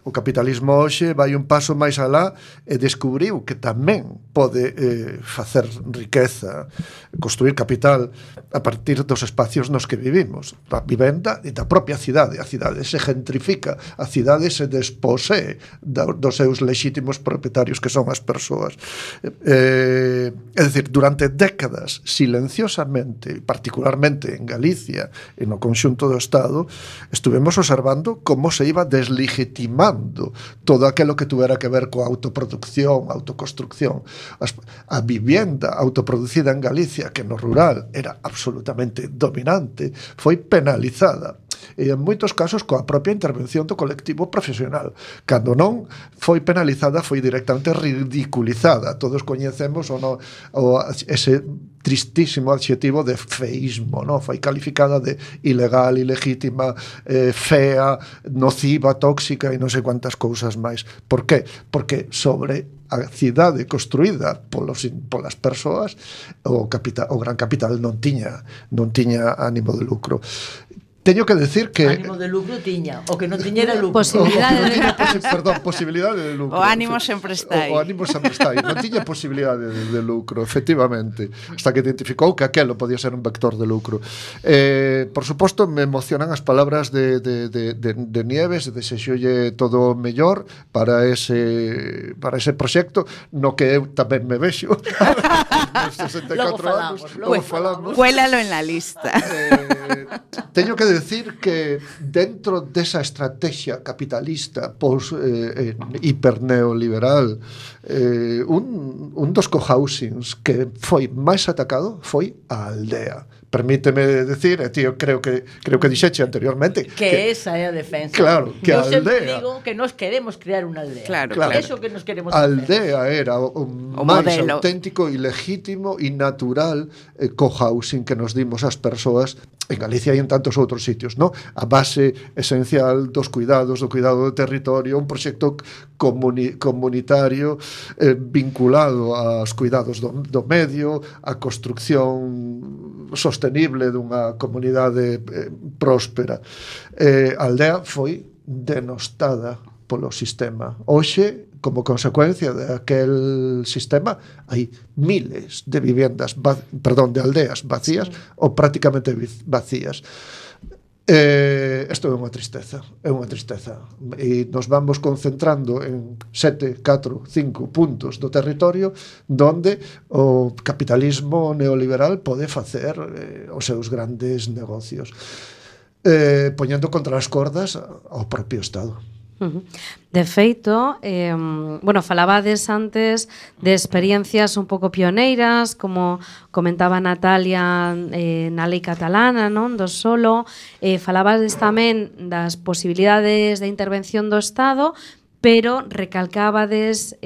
O capitalismo hoxe vai un paso máis alá e descubriu que tamén pode facer riqueza, construir capital a partir dos espacios nos que vivimos. A vivenda e da propia cidade. A cidade se gentrifica, a cidade se desposee dos seus lexítimos propietarios que son as persoas. É dicir, durante décadas, silenciosamente, particularmente en Galicia e no conxunto do Estado, estuvemos observando como se iba deslegitimando todo aquilo que tuvera que ver coa autoproducción, autoconstrucción. A vivienda autoproducida en Galicia, que no rural era absolutamente dominante, foi penalizada e en moitos casos coa propia intervención do colectivo profesional. Cando non foi penalizada, foi directamente ridiculizada. Todos coñecemos ese tristísimo adxetivo de feísmo, non? Foi calificada de ilegal, ilegítima, fea, nociva, tóxica e non sei cuántas cousas máis. Por qué? Porque sobre a cidade construída polas persoas o gran capital non tiña ánimo de lucro. Teño que decir que... Ánimo de lucro tiña, o que non tiña era lucro. Posibilidade de lucro. Perdón, posibilidade de lucro. O ánimo sempre está aí. O ánimo sempre está aí. Non tiña posibilidade de lucro, efectivamente, hasta que identificou que aquelo podía ser un vector de lucro. Por suposto, me emocionan as palabras de Nieves, desexolle todo o mellor para ese proxecto, no que eu tamén me vexo. Nos 64 anos. Logo falamos. Cuélalo en la lista. Teño que decir que dentro desa estrategia capitalista hiperneoliberal, un dos cohousings que foi máis atacado foi a aldea. Permíteme decir, tío, creo que dixeche anteriormente que esa é a defensa. Claro, que eu a aldea. sempre digo que nos queremos crear unha aldea. Claro. Eso que nos queremos a hacer. aldea era o máis modelo auténtico e legítimo e natural cohousing que nos dimos ás persoas en Galicia e en tantos outros sitios, ¿no? A base esencial dos cuidados, do cuidado do territorio, un proxecto comunitario vinculado aos cuidados do medio, a construcción sostenible dunha comunidade próspera. A aldea foi denostada polo sistema. Hoxe, como consecuencia daquel sistema, hai miles de vivendas, de aldeas vacías, sí, ou prácticamente vacías. Isto é unha tristeza, e nos vamos concentrando en 7, 4, 5 puntos do territorio donde o capitalismo neoliberal pode facer os seus grandes negocios, poñendo contra as cordas ao propio Estado. De feito, falabades antes de experiencias un pouco pioneiras, como comentaba Natalia na lei catalana, non, do solo, falabades tamén das posibilidades de intervención do Estado, pero recalcábades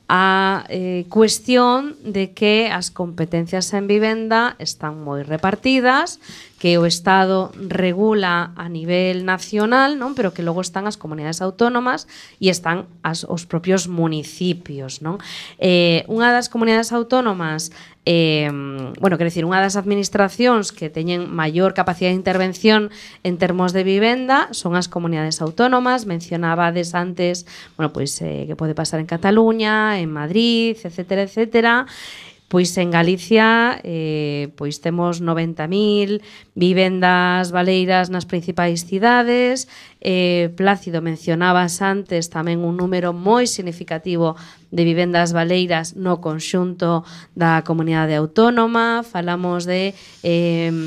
a cuestión de que as competencias en vivenda están moi repartidas, que o Estado regula a nivel nacional, non? Pero que logo están as comunidades autónomas e están os propios municipios, non? Unha das comunidades autónomas, unha das administracións que teñen maior capacidade de intervención en termos de vivenda son as comunidades autónomas. Mencionabades antes, que pode pasar en Cataluña, en Madrid, etcétera, etcétera. Pois en Galicia temos 90.000 vivendas baleiras nas principais cidades. Plácido, mencionabas antes tamén un número moi significativo de vivendas baleiras no conxunto da comunidade autónoma. Falamos de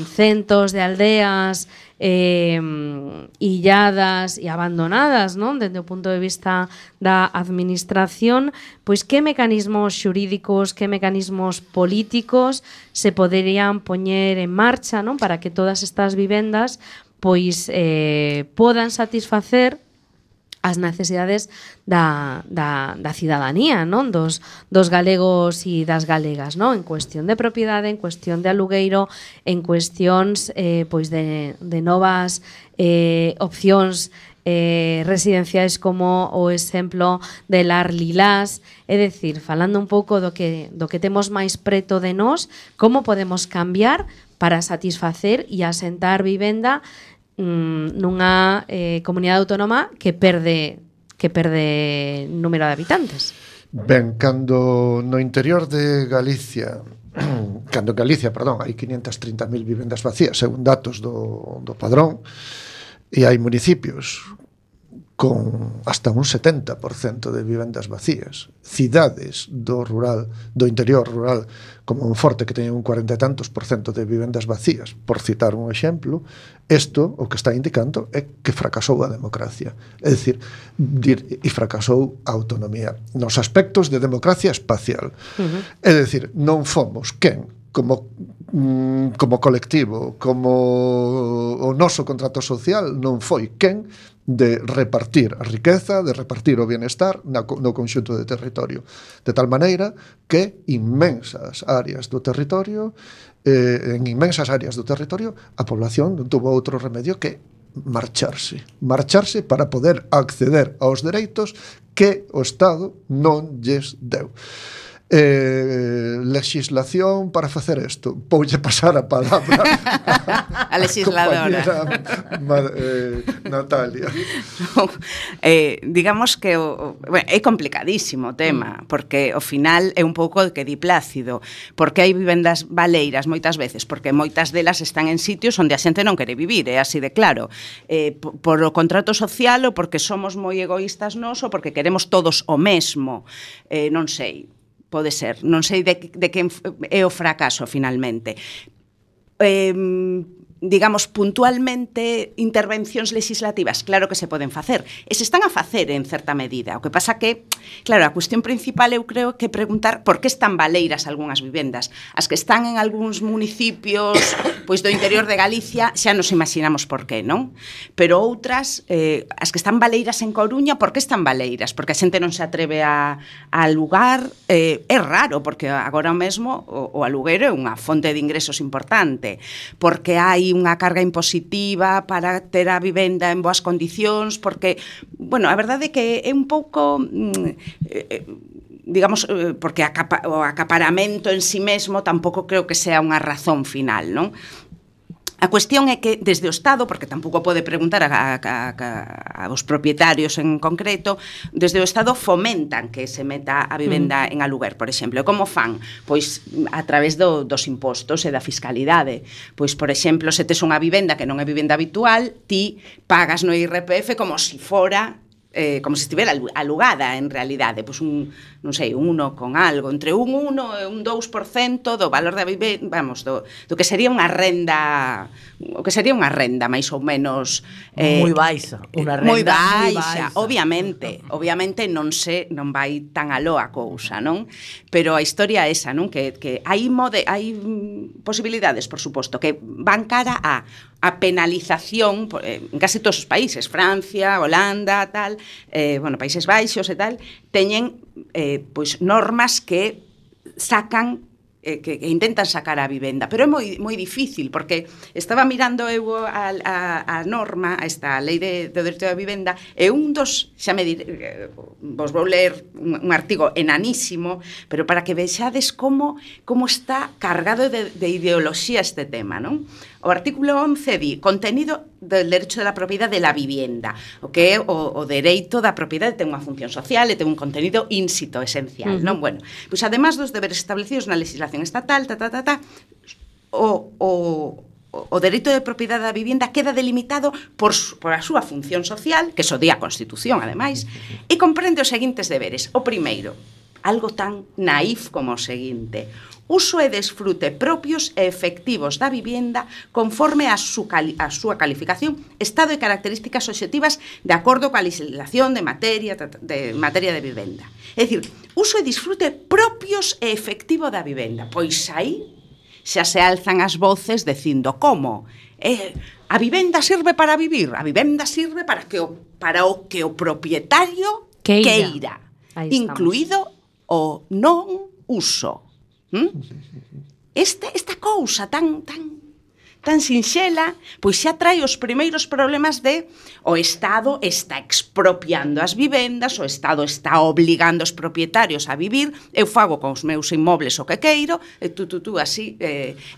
centos de aldeas illadas e abandonadas, non? Dende o punto de vista da administración, pois que mecanismos xurídicos, que mecanismos políticos se poderían poñer en marcha, non? Para que todas estas vivendas pois podan satisfacer as necesidades da cidadanía, non? Dos galegos e das galegas, non? En cuestión de propiedade, en cuestión de alugueiro, en cuestións de novas opcións residenciais, como o exemplo de Lar Lilás. É dicir, falando un pouco do que temos máis preto de nós, como podemos cambiar para satisfacer e asentar vivenda nunha comunidade autónoma que perde número de habitantes. Ben, cando no interior de Galicia hai 530.000 vivendas vacías, según datos do Padrón, e hai municipios con hasta un 70% de vivendas vacías, cidades do interior rural, como Monforte, que teñen un 40 e tantos % de vivendas vacías, por citar un exemplo. Isto o que está indicando é que fracasou a democracia, é dicir, e fracasou a autonomía nos aspectos de democracia espacial. É dicir, non fomos quen, como colectivo, como o noso contrato social, non foi quen de repartir a riqueza, de repartir o bienestar no conxunto de territorio, de tal maneira que en inmensas áreas do territorio a población non tuvo outro remedio que marcharse para poder acceder aos dereitos que o Estado non lles deu. Legislación para facer isto. Voulle pasar a palabra a legisladora Natalia. Digamos que é complicadísimo o tema, porque ao final é un pouco de que di Plácido, porque hai vivendas baleiras moitas veces, porque moitas delas están en sitios onde a xente non quere vivir, é así de claro, por o contrato social, ou porque somos moi egoístas nós, ou porque queremos todos o mesmo, non sei. Pode ser, non sei de quen é o fracaso finalmente. Digamos, puntualmente, intervencións legislativas, claro que se poden facer, e se están a facer en certa medida. O que pasa que, claro, a cuestión principal eu creo que preguntar por que están baleiras algunhas vivendas. As que están en algúns municipios pois do interior de Galicia xa nos imaginamos por qué, non? Pero outras, as que están baleiras en Coruña, por que están baleiras? Porque a xente non se atreve a alugar. É raro, porque agora mesmo o aluguero é unha fonte de ingresos importante, porque hai unha carga impositiva para ter a vivenda en boas condicións, porque, a verdade é que é un pouco, digamos, porque o acaparamento en si mesmo tampouco creo que sea unha razón final, non? A cuestión é que desde o Estado, porque tampouco pode preguntar aos propietarios en concreto, desde o Estado fomentan que se meta a vivenda en aluguer, por exemplo. Como fan? Pois a través dos impostos e da fiscalidade. Pois, por exemplo, se tes unha vivenda que non é vivenda habitual, ti pagas no IRPF como se fora como se estivera alugada en realidade, pois non sei, un 1 con algo, entre un 1 e un 2% do valor da vivenda, vamos, do que sería unha renda, o que sería unha renda máis ou menos moi baixa, unha renda moi baixa. Obviamente non vai tan aló a cousa, non? Pero a historia é esa, non? Que hai posibilidades, por suposto, que van cara a penalización en case todos os países, Francia, Holanda, tal, Países Baixos e tal, teñen pois normas que sacan que intentan sacar a vivenda, pero é moi difícil, porque estaba mirando eu a norma, a esta lei do dereito da vivenda, e un dos, xa me diré, vos vou ler un artigo enanísimo, pero para que vexades como está cargado de ideoloxía este tema, non? O artículo 11 di contenido del derecho de la propiedad de la vivienda, o que é o dereito da propiedade ten unha función social e ten un contenido ínsito, esencial, non? Bueno, pois además dos deberes establecidos na legislación estatal, o dereito de propiedade da vivienda queda delimitado por a súa función social, que so di a Constitución, ademais, e comprende os seguintes deberes. O primeiro, algo tan naif como o seguinte: uso e desfrute propios e efectivos da vivenda conforme a súa calificación, estado e características obxectivas de acordo coa legislación de materia de vivenda. É dicir, uso e disfrute propios e efectivo da vivenda. Pois aí xa se alzan as voces dicindo como a vivenda sirve para vivir, a vivenda sirve para o que o propietario queira, incluído o non uso. Esta cousa tan sinxela, pois xa trae os primeiros problemas de o Estado está expropiando as vivendas, o Estado está obligando os propietarios a vivir, eu fago con os meus inmobles o que queiro, e tú así.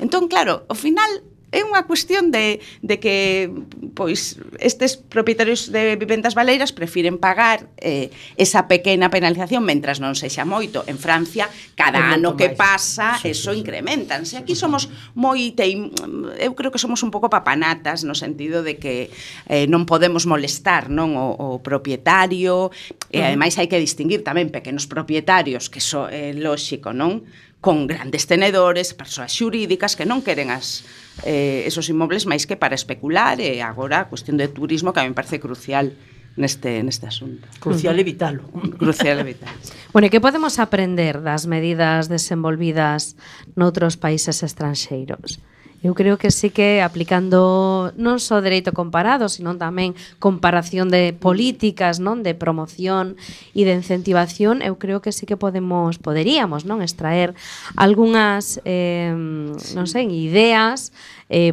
Entón, claro, ao final é unha cuestión de que pois estes propietarios de vivendas baleiras prefiren pagar esa pequena penalización mentras non sexa moito. En Francia, cada ano que pasa, eso incrementanse. Aquí somos eu creo que somos un pouco papanatas no sentido de que non podemos molestar, non, o propietario, e ademais hai que distinguir tamén pequenos propietarios, que iso é lóxico, non? Con grandes tenedores, persoas xurídicas que non queren esos inmobles máis que para especular, e agora a cuestión de turismo que a mí me parece crucial neste asunto. Crucial evitalo. Crucial evitalo. Bueno, e que podemos aprender das medidas desenvolvidas noutros países estranxeiros? Eu creo que sí que aplicando non só dereito comparado, sino tamén comparación de políticas, non, de promoción e de incentivación, eu creo que sí que poderíamos, non, extraer algunhas non sei, ideas,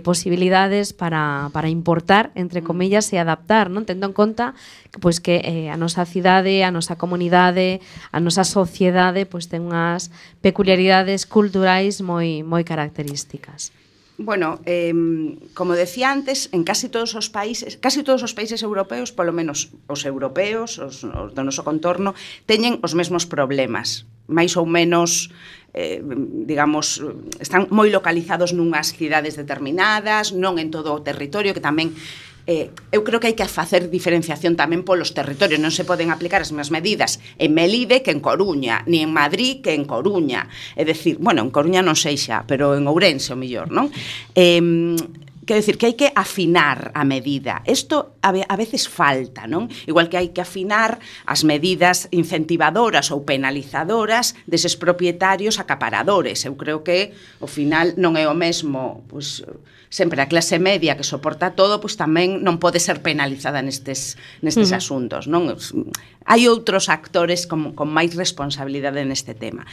posibilidades para importar, entre comillas, e adaptar, non, tendo en conta que pois que a nosa cidade, a nosa comunidade, a nosa sociedade pois ten unhas peculiaridades culturais moi características. Bueno, como decía antes, en casi todos os países europeos, polo menos os europeos, os do noso contorno, teñen os mesmos problemas, máis ou menos, digamos, están moi localizados nunhas cidades determinadas, non en todo o territorio, que tamén eu creo que hai que facer diferenciación tamén polos territorios, non se poden aplicar as mesmas medidas en Melide que en Coruña, ni en Madrid que en Coruña. É dicir, bueno, en Coruña non sei xa, pero en Ourense o mellor, non? Quero dicir que hai que afinar a medida. Isto a veces falta, non? Igual que hai que afinar as medidas incentivadoras ou penalizadoras deses propietarios acaparadores. Eu creo que, ao final, non é o mesmo, pois, sempre a clase media que soporta todo, pois tamén non pode ser penalizada nestes asuntos, non? Hai outros actores con máis responsabilidade neste tema.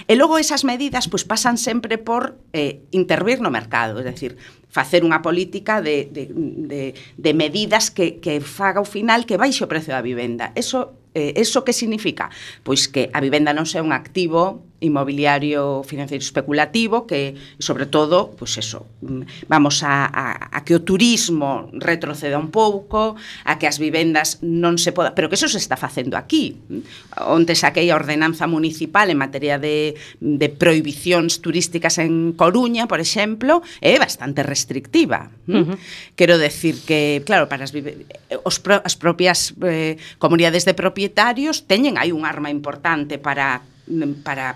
E logo esas medidas pois pasan sempre por intervir no mercado, é dicir, facer unha política de medidas que faga ao final que baixe o prezo da vivenda. Eso que significa? Pois que a vivenda non sea un activo inmobiliario financeiro especulativo que, sobre todo, pois eso, vamos a que o turismo retroceda un pouco, a que as vivendas non se poda, pero que eso se está facendo aquí. Onte saquei a ordenanza municipal en materia de prohibicións turísticas en Coruña, por exemplo, é bastante restrictiva. Quero decir que, claro, para as propias comunidades de propietarios teñen aí un arma importante para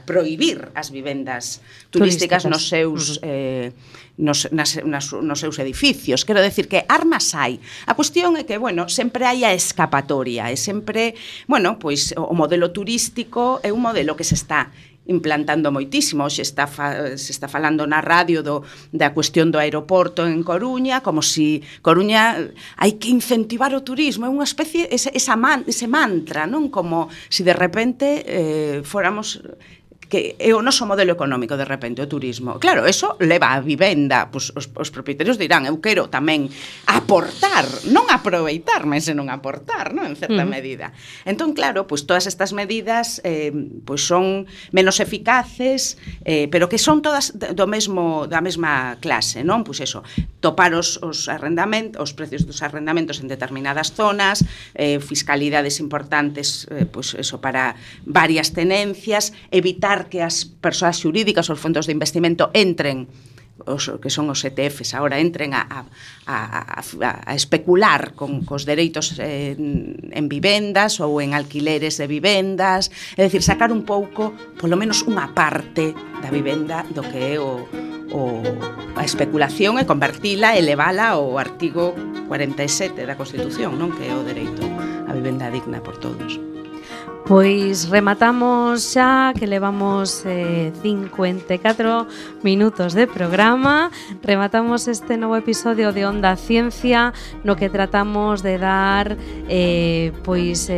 prohibir as vivendas turísticas nos seus nos seus edificios. Quero decir que armas hai. A cuestión é que, bueno, sempre hai a escapatoria, e sempre, bueno, pois o modelo turístico é un modelo que se está implantando moitísimo. Se está falando na radio da cuestión do aeroporto en Coruña, como si Coruña hai que incentivar o turismo, é unha especie, ese mantra, non? Como si de repente fóramos que é o noso modelo económico de repente o turismo. Claro, eso leva a vivenda, pois os propietarios dirán, eu quero tamén aportar, non aproveitarme, senón aportar, non, en certa medida. Entón, claro, pois todas estas medidas pois son menos eficaces, pero que son todas da mesma clase, non? Pois eso, topar os precios dos arrendamentos en determinadas zonas, fiscalidades importantes, pois eso, para varias tenencias, evitar que as persoas xurídicas, os fondos de investimento entren, que son os ETFs agora, entren a especular cos dereitos en vivendas ou en alquileres de vivendas, é dicir, sacar un pouco, polo menos unha parte da vivenda do que é a especulación e convertila, elevala ao artigo 47 da Constitución, non, que é o dereito á vivenda digna por todos. Pois rematamos xa, que levamos 54 minutos de programa. Rematamos este novo episodio de Onda Ciencia, no que tratamos de dar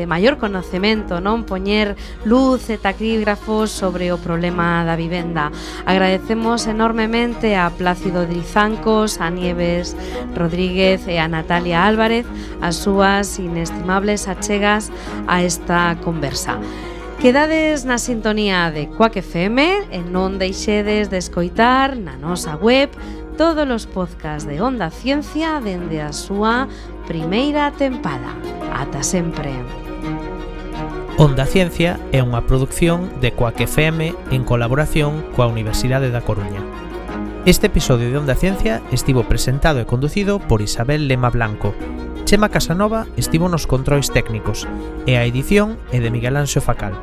maior conocemento, non, poñer luz e taquígrafos sobre o problema da vivenda. Agradecemos enormemente a Plácido Drizancos, a Nieves Rodríguez e a Natalia Álvarez as súas inestimables achegas a esta conversa. Quedades na sintonía de Quack FM e non deixedes de escoitar na nosa web todos os podcasts de Onda Ciencia dende a súa primeira tempada. Ata sempre. Onda Ciencia é unha produción de Quack FM en colaboración coa Universidade da Coruña. Este episodio de Onda Ciencia estivo presentado e conducido por Isabel Lema Blanco. Chema Casanova estivo nos controis técnicos e a edición é de Miguel Anxo Facal.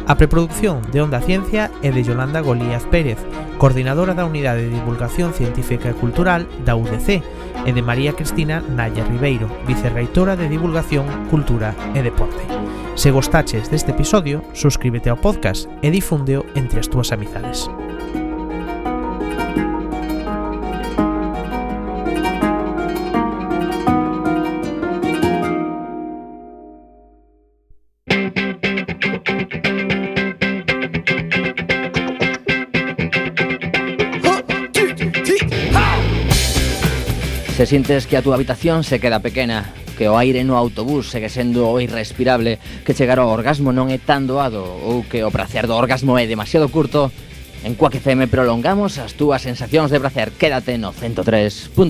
A preproducción de Onda Ciencia é de Yolanda Golíaz Pérez, coordinadora da Unidade de Divulgación Científica e Cultural da UDC, e de María Cristina Nalla Ribeiro, vicerreitora de Divulgación, Cultura e Deporte. Se gostaches deste episodio, suscríbete ao podcast e difúndeo entre as túas amizades. Se sientes que a túa habitación se queda pequena, que o aire no autobús segue sendo irrespirable, que chegar ao orgasmo non é tan doado ou que o prazer do orgasmo é demasiado curto, en Quack FM prolongamos as túas sensacións de prazer. Quédate no 103.4.